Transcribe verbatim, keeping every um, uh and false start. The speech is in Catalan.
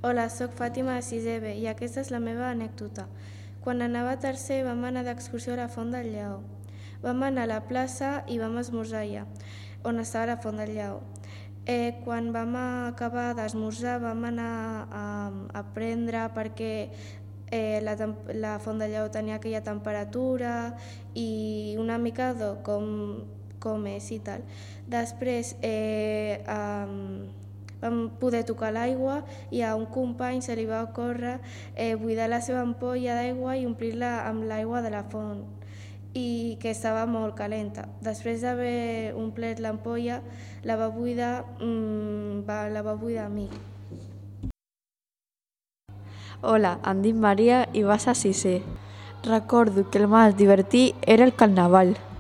Hola, soc Fàtima de sisè B i aquesta és la meva anècdota. Quan anava a tercer vam anar d'excursió a la Font del Lleó. Vam anar a la plaça i vam esmorzar allà, on estava la Font del Lleó. Eh, quan vam acabar d'esmorzar vam anar a, a prendre perquè eh, la, la Font del Lleó tenia aquella temperatura i una mica de com, com és i tal. Després eh, um, vam poder tocar l'aigua i a un company se li va ocórrer eh, buidar la seva ampolla d'aigua i omplir-la amb l'aigua de la font i que estava molt calenta. Després d'haver omplert l'ampolla, la va buidar, mmm, va, la va buidar a mi. Hola, em dic Maria i vas a sisè. Recordo que el més divertit era el carnaval.